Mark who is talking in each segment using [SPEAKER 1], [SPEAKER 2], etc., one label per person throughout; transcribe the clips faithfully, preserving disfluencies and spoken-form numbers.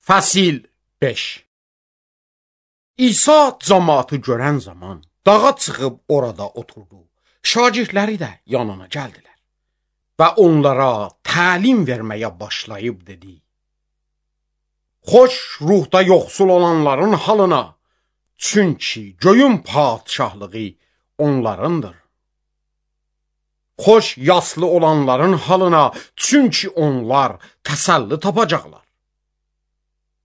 [SPEAKER 1] Fəsil beş. İsa cəmaatı görən zaman dağa çıxıb orada oturdu. Şagirdləri də yanına gəldilər və onlara təlim verməyə başlayıb dedi: Xoş ruhda yoxsul olanların halına, çünki göyün padşahlığı onlarındır. Xoş yaslı olanların halına, çünki onlar təsəlli tapacaqlar.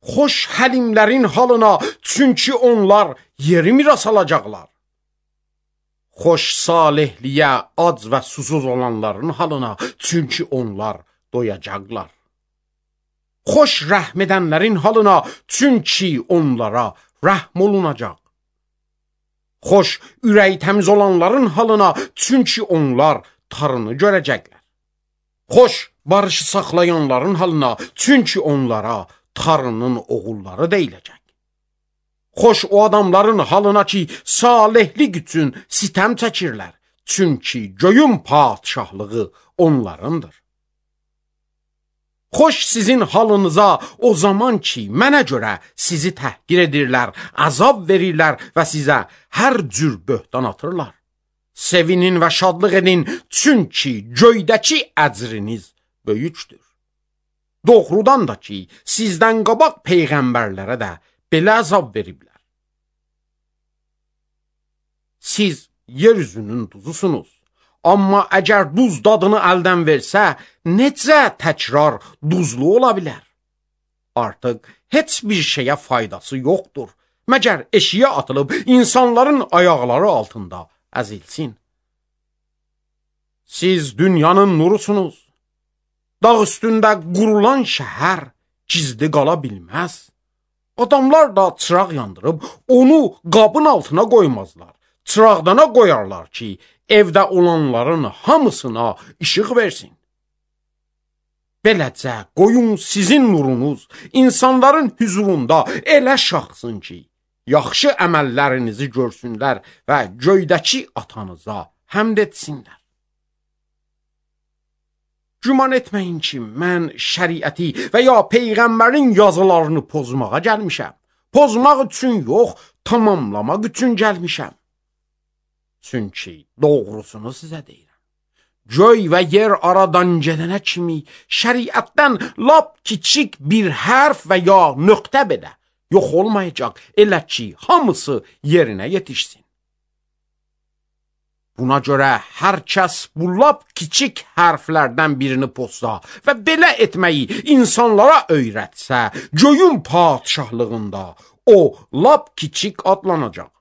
[SPEAKER 1] Xoş həlimlərin halına, çünki onlar yeri miras alacaqlar. Xoş salihliyə ac və susuz olanların halına, çünki onlar doyacaqlar. Xoş rəhm edənlərin halına, çünki onlara rəhm olunacaq. Xoş ürək təmiz olanların halına, çünki onlar tarını görəcəklər. Xoş barışı saxlayanların halına, çünki onlara tarının oğulları deyiləcək. Xoş o adamların halına ki, salihlik üçün sitəm çəkirlər, çünki göyün padşahlığı onlarındır. Xoş sizin halınıza o zaman ki, mənə görə sizi təhqir edirlər, əzab verirlər və sizə hər cür böhtan atırlar. Sevinin və şadlıq edin, çünki göydəki əcriniz böyükdür. Doğrudan da ki, sizdən qabaq peyğəmbərlərə də belə əzab veriblər. Siz yeryüzünün duzusunuz. Amma əgər duz dadını əldən versə, necə təkrar duzlu ola bilər? Artıq heç bir şeyə faydası yoxdur, məgər eşiyə atılıb insanların ayaqları altında əzilsin. Siz dünyanın nurusunuz. Dağ üstündə qurulan şəhər gizli qala bilməz. Adamlar da çıraq yandırıb onu qabın altına qoymazlar. Çıraqdana qoyarlar ki, evdə olanların hamısına işıq versin. Beləcə qoyun sizin nurunuz insanların hüzurunda elə şaxsın ki, yaxşı əməllərinizi görsünlər və göydəki atanıza həmd etsinlər. Güman etməyin ki, mən şəriəti və ya peyğəmbərin yazılarını pozmağa gəlmişəm. Pozmaq üçün yox, tamamlamaq üçün gəlmişəm. Çünki doğrusunu sizə deyirəm. Göy və yer aradan gedənə kimi şəriətdən lap kiçik bir hərf və ya nöqtə belə yox olmayacaq, elə ki, hamısı yerinə yetişsin. Buna görə hər kəs bu lap kiçik hərflərdən birini pozsa və belə etməyi insanlara öyrətsə, göyün padşahlığında o lap kiçik adlanacaq.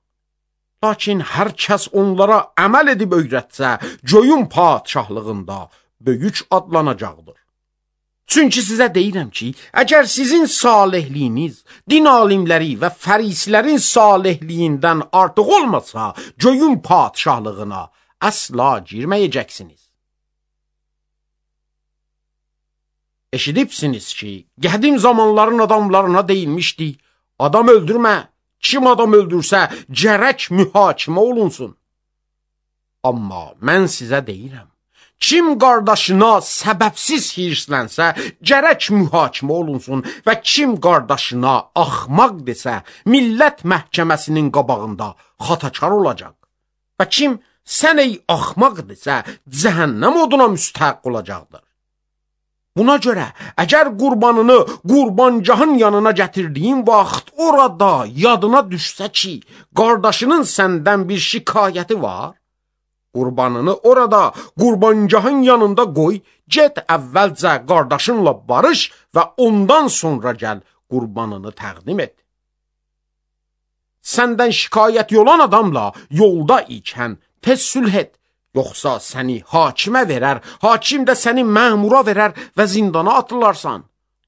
[SPEAKER 1] Lakin hər kəs onlara əməl edib öyrətsə, göyün padşahlığında böyük adlanacaqdır. Çünki sizə deyirəm ki, əgər sizin salihliyiniz din alimləri və fərisilərin salihliyindən artıq olmasa, göyün padşahlığına əsla girməyəcəksiniz. Eşidibsiniz ki, qədim zamanların adamlarına deyilmişdi, adam öldürmə, kim adam öldürsə, gərək mühakimə olunsun. Amma mən sizə deyirəm, kim qardaşına səbəbsiz hirslənsə, gərək mühakimə olunsun və kim qardaşına axmaq desə, millət məhkəməsinin qabağında xatakar olacaq. Və kim sən ey axmaq desə, cəhənnəm oduna müstəhq olacaqdır. Buna görə, əgər qurbanını qurbancahın yanına gətirdiyin vaxt orada yadına düşsə ki, qardaşının səndən bir şikayəti var, qurbanını orada qurbancahın yanında qoy, get əvvəlcə qardaşınla barış və ondan sonra gəl qurbanını təqdim et. Səndən şikayət olan adamla yolda ikən tez sülh et, yoxsa səni hakimə verər, hakim də səni məmura verər və zindana atılarsan.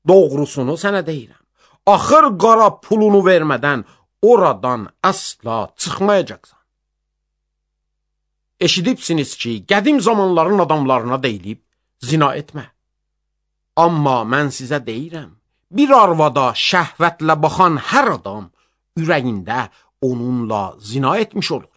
[SPEAKER 1] Doğrusunu sənə deyirəm. Axır qara pulunu vermədən oradan əsla çıxmayacaqsan. Eşidibsiniz ki, qədim zamanların adamlarına deyilib, zina etmə. Amma mən sizə deyirəm, bir arvada şəhvətlə baxan hər adam ürəyində onunla zina etmiş olur.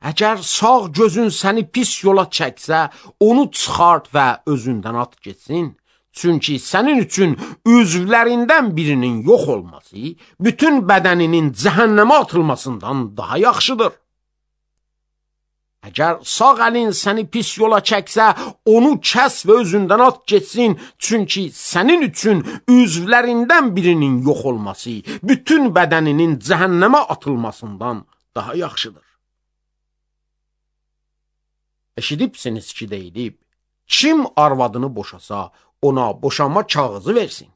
[SPEAKER 1] Əgər sağ gözün səni pis yola çəksə, onu çıxart və özündən at getsin. Çünki sənin üçün üzvlərindən birinin yox olması, bütün bədəninin cəhənnəmə atılmasından daha yaxşıdır. Əgər sağ əlin səni pis yola çəksə, onu kəs və özündən at getsin, çünki sənin üçün üzvlərindən birinin yox olması, bütün bədəninin cəhənnəmə atılmasından daha yaxşıdır. Eşidibsiniz ki, deyilib, kim arvadını boşasa, ona boşanma kağızı versin.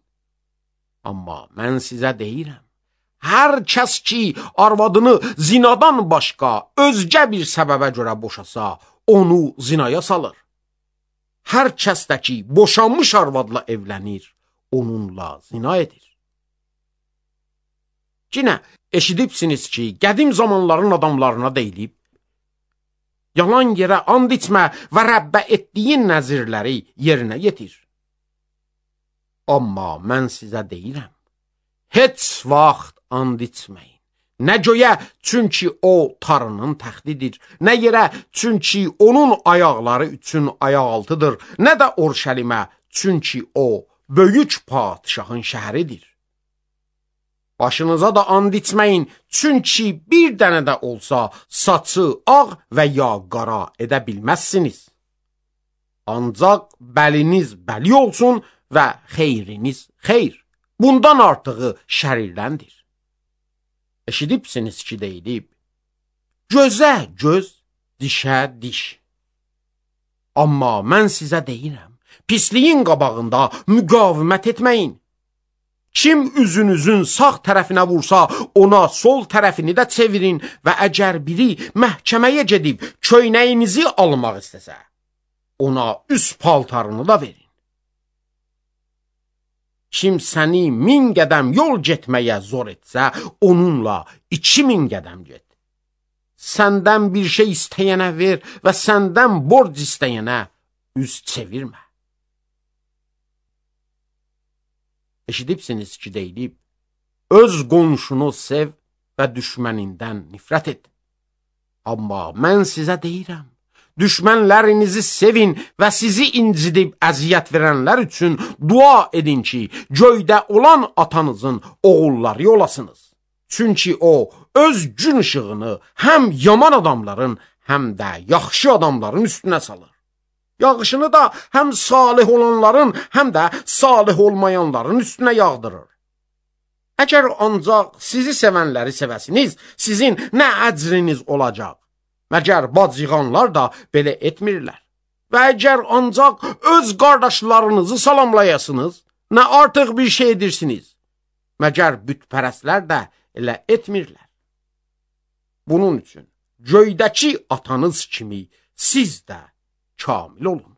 [SPEAKER 1] Amma mən sizə deyirəm, hər kəs ki, arvadını zinadan başqa özgə bir səbəbə görə boşasa, onu zinaya salır. Hər kəs də ki, boşanmış arvadla evlənir, onunla zina edir. Yine eşidibsiniz ki, qədim zamanların adamlarına deyilib, yalan yerə and içmə və Rəbbə etdiyin nəzirləri yerinə yetir. Amma mən sizə deyirəm, heç vaxt and içməyin. Nə göyə, çünki o Tanrının təxtidir, nə yerə, çünki onun ayaqları üçün ayaqaltıdır, nə də Orşəlimə, çünki o böyük padişahın şəhəridir. Başınıza da and içməyin, çünki bir dənə də olsa saçı ağ və ya qara edə bilməzsiniz. Ancaq bəliniz bəli olsun və xeyriniz xeyr. Bundan artığı şərirləndir. Eşidibsiniz ki, deyilib, gözə göz, dişə diş. Amma mən sizə deyirəm, pisliyin qabağında müqavimət etməyin. Kim üzünüzün sağ tərəfinə vursa, ona sol tərəfini də çevirin və əgər biri məhkəməyə gedib köynəyinizi almaq istəsə, ona üst paltarını da verin. Kim səni min qədəm yol getməyə zor etsə, onunla iki min qədəm get. Səndən bir şey istəyənə ver və səndən borc istəyənə üz çevirmə. Eşidibsiniz ki, deyilib, öz qonşunu sev və düşmənindən nifrət et. Amma mən sizə deyirəm, düşmənlərinizi sevin və sizi incidib əziyyət verənlər üçün dua edin ki, göydə olan atanızın oğulları olasınız. Çünki o, öz gün ışığını həm yaman adamların, həm də yaxşı adamların üstünə salır. Yağışını da həm salih olanların, həm də salih olmayanların üstünə yağdırır. Əgər ancaq sizi sevənləri sevəsiniz, sizin nə əcriniz olacaq? Məgər bacıqanlar da belə etmirlər. Və əgər ancaq öz qardaşlarınızı salamlayasınız, nə artıq bir şey edirsiniz? Məgər bütpərəstlər də elə etmirlər. Bunun üçün göydəki atanız kimi siz də kamil olun.